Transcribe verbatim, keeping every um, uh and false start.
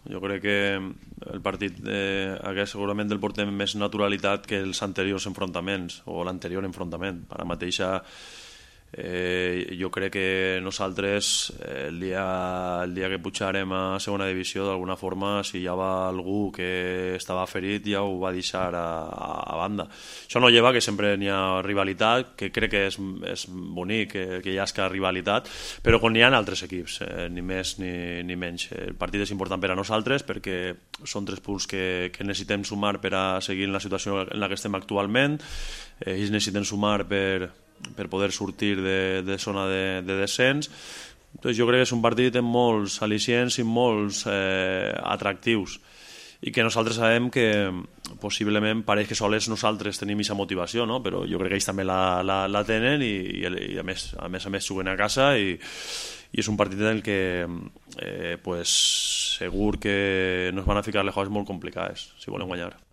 Jo crec que el partit eh, hagués segurament el portem més naturalitat que els anteriors enfrontaments o l'anterior enfrontament. Ara mateixa eh, jo crec que nosaltres eh, el, dia, el dia que pujarem a segona divisió d'alguna forma, si hi havia algú que estava ferit ja ho va deixar a, a banda. Això no lleva que sempre n'hi ha rivalitat, que crec que és, és bonic que, que hi hagi rivalitat, però quan hi ha altres equips, eh, ni més ni, ni menys. El partit és important per a nosaltres perquè són tres punts que, que necessitem sumar per a seguir en la situació en la que estem actualment. Eh, ells necessiten sumar per per poder sortir de, de zona de, de descens. Entonces, jo crec que és un partit amb molts al·licients i molts eh, atractius i que nosaltres sabem que possiblement pareix que sols nosaltres tenim aquesta motivació, no? Però jo crec que ells també la, la, la tenen i, i, i a, més, a més a més juguen a casa i, i és un partit en el que eh, pues, segur que nos van a ficar les coses molt complicades si volen guanyar.